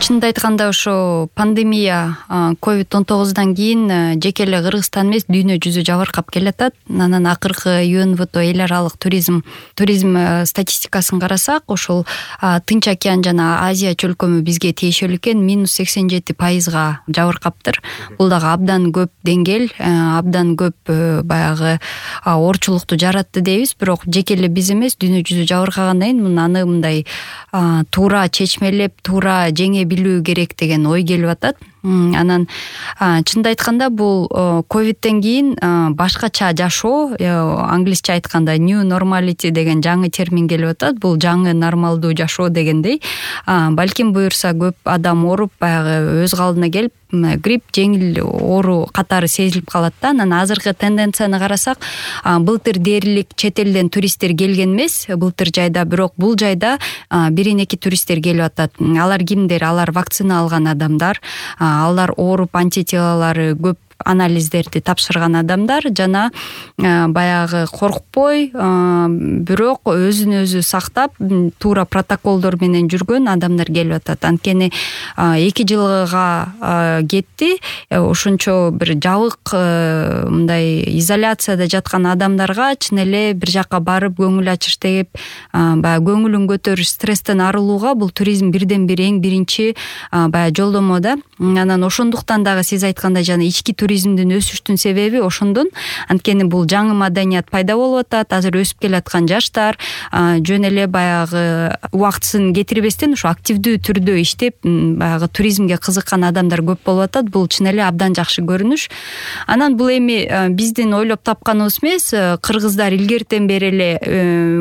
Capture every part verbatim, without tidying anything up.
чынын айтканда ошо пандемия ковид он тогуздан кийин жеке эле Кыргызстан эмес дүйнө жүзү жабыркап келатат. Анан акыркы ЮНВТО эл аралык туризм туризм статистикасын карасак, ошол Тынч океан жана Азия чөлкөмү бизге тиешелүү экен, минус сексен жети пайызга жабыркаптыр. Бул дагы абдан көп деңгэл, абдан көп баягы оорчулукту жаратты дейбиз, бирок жеке эле биз эмес дүйнө жүзү жабыркагандан кийин аны мындай туура чечмелеп, туура жеңе билүү керек деген ой келип атат. Анан чынды айтканда бул ковидтен кийин башкача жашоо, англисче айтканда new normality деген жаңы термин келип атат. Бул жаңы нормалдуу жашоо дегендей. Балким буюрса көп адам ооруп, баягы өз калдына келип, грипп, жеңил оору катары сезилип калат да. Анан азыркы тенденцияны карасак, былтыр дээрлик чет элден туристтер келген эмес, былтыр жайда, бирок бул жайда бирин эки туристтер келип атат. Алар кимдер? Алар вакцина алган адамдар, алар ооруп антителалары көп анализдерди тапшырган адамдар жана баягы коркпой, бирок өзүн өзү сактап, туура протоколдор менен жүргөн адамдар келип атат. Анткени эки жылга кетти, ошончо бир жабык мындай изоляцияда жаткан адамдарга чын эле бир жакка барып көңүл ачыш деп, баягы көңүлүн көтөрүш, стресстен арылууга бул туризм бирден бир эң биринчи баягы жолдомо да. Анан ошондуктан дагы сиз айткандай жана ички туризмдин өсүштүн себеби ошондон. Анткени бул жаңы маданият пайда болуп атат. Азыр өсүп келаткан жаштар жөн эле баягы убактысын кетирбестен ошо активдүү түрдө иштеп, баягы туризмге кызыккан адамдар көп болуп атат. Бул чын эле абдан жакшы көрүнүш. Анан бул эми биздин ойлоп тапканыбыз эмес, кыргыздар илгертен бери эле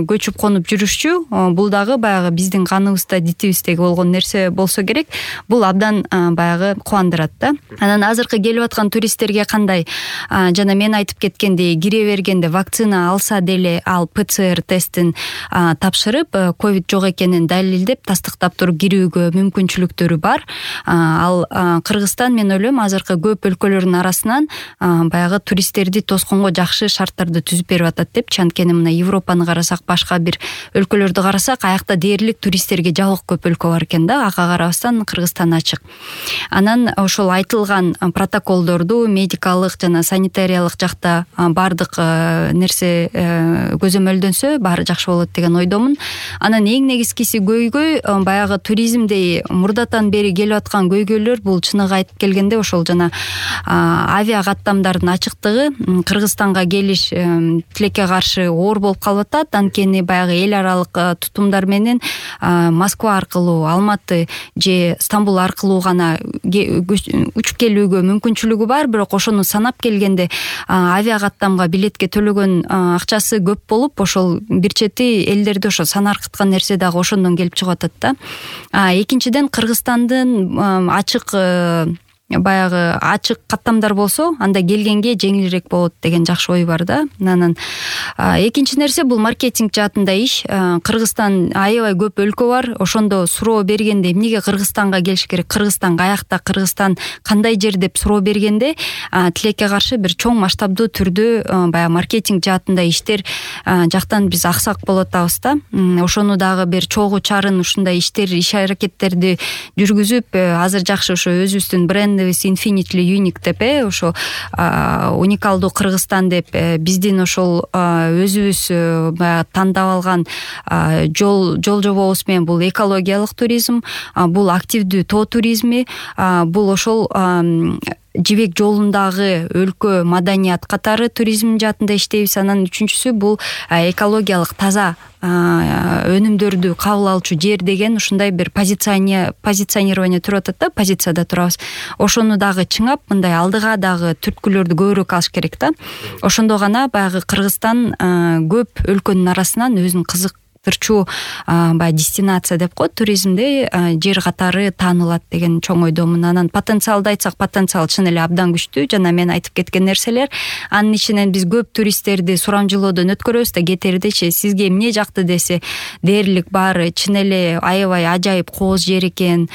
көчүп конуп жүрүшчү. Бул дагы баягы биздин каныбызда, дитибиздеги болгон нерсе болсо керек. Бул абдан баягы кубандырат да. Анан азыркы келип аткан туристтерге кандай? Жана мен айтып кеткендей, кире бергенде вакцина алса деле ал ПЦР тестин тапшырып, ковид жок экенин далилдеп, тастыктап туруп кирүүгө мүмкүнчүлүктөрү бар. Ал Кыргызстан, мен ойлойм, азыркы көп өлкөлөрдүн арасынан баягы туристтерди тосконго жакшы шарттарды түзүп берип атат депчи. Анткени мына Европаны карасак, башка бир өлкөлөрдү карасак, аякта дээрлик туристтерге жабык көп өлкө бар экен да. Ага карабастан Кыргызстан ачык. Анан ошол айтылган протоколдорду медикалык жана санитариялык жакта бардык нерсе көзөмөлдөнсө, баары жакшы болот деген ойдомун. Анан эң негизгиси көйгөй, баягы туризмдей мурдатан бери келип аткан көйгөйлөр, бул чыныгы айтып келгенде ошол жана авиа каттамдардын ачыктыгы. Кыргызстанга келиш тилекке каршы оор болуп калып атат. Анткени баягы эл аралык тутумдар менен Москва аркылуу, Алматы же Стамбул аркылуу гана учуп келүүгө мүмкүнчүлүгү бар, бирок ошону санап келгенде авиа каттамга билетке төлөгөн акчасы көп болуп, ошол бир чети элдерди ошо санаркыткан нерсе дагы ошондон келип чыгып атат да. Экинчиден, Кыргызстандын ачык баягы ачык каттамдар болсо, анда келгенге жеңилирээк болот деген жакшы ой бар да. Анан экинчи нерсе, бул маркетинг жаатында иш. Кыргызстан аябай көп өлкө бар. Ошондо суроо бергенде эмнеге Кыргызстанга келиш керек, Кыргызстан каякта, Кыргызстан кандай жер деп суроо бергенде, тилекке каршы бир чоң масштабдуу түрдө баягы маркетинг жаатында иштер жактан биз аксак болуп атабыз да. Ошону дагы бир чогуу чарын ушундай иштер, иш аракеттерди жүргүзүп, азыр жакшы ошо өзүбүздүн бренд Infinitely Unique деп, ошо уникалдуу Кыргызстан деп, биздин ошол өзүбүз тандап алган жол жол жобобуз менен бул экологиялык туризм, бул активдүү тоо туризми, бул ошол жибек жолундагы өлкө маданият катары туризм жаатында иштейбиз. Анан үчүнчүсү бул экологиялык таза өнүмдөрдү кабыл алчу жер деген ушундай бир позиционирование туруп атат да, позицияда турабыз. Ошону дагы чыңап, мындай алдыга дагы түрткүлөрдү көбүрөөк алыш керек да. Ошондо гана баягы Кыргызстан көп өлкөнүн арасынан өзүн кызык тырчуу баягы дестинация деп коет туризмде, жер катары таанылат деген чоң ойдомун. Анан потенциалды айтсак, потенциал чын эле абдан күчтүү. Жана мен айтып кеткен нерселер, анын ичинен биз көп туристтерди сурамжылоодон өткөрөбүз да, кетердечи сизге эмне жакты десе, дээрлик баары чын эле аябай ажайып кооз жер экен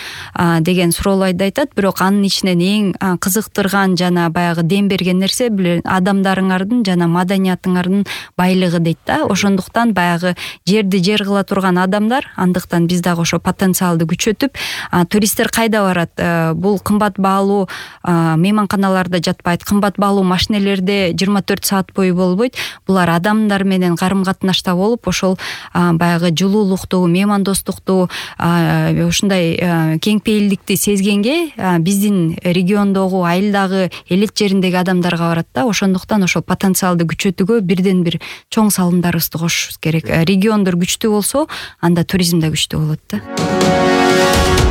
деген суроолорду айтат. Бирок анын ичинен эң кызыктырган жана баягы дем берген нерсе адамдарыңардын жана маданиятыңардын байлыгы дейт да. Ошондуктан баягы жерди бизди жер кыла турган адамдар, андыктан биз дагы ошо потенциалды күчөтүп, туристтер кайда барат? Бул кымбат баалуу мейманканаларда жатпайт, кымбат баалуу машинелерде жыйырма төрт саат бою болбойт. Булар адамдар менен карым катнашта болуп, ошол баягы жылуулукту, меймандостукту, ушундай кең пейилдикти сезгенге биздин региондогу, айылдагы, элет жериндеги адамдарга барат да. Ошондуктан ошол потенциалды күчөтүүгө бирден бир чоң салымдарыбызды кошушубуз керек. Региондор күчтүү болсо, анда туризм да күчтүү болот да.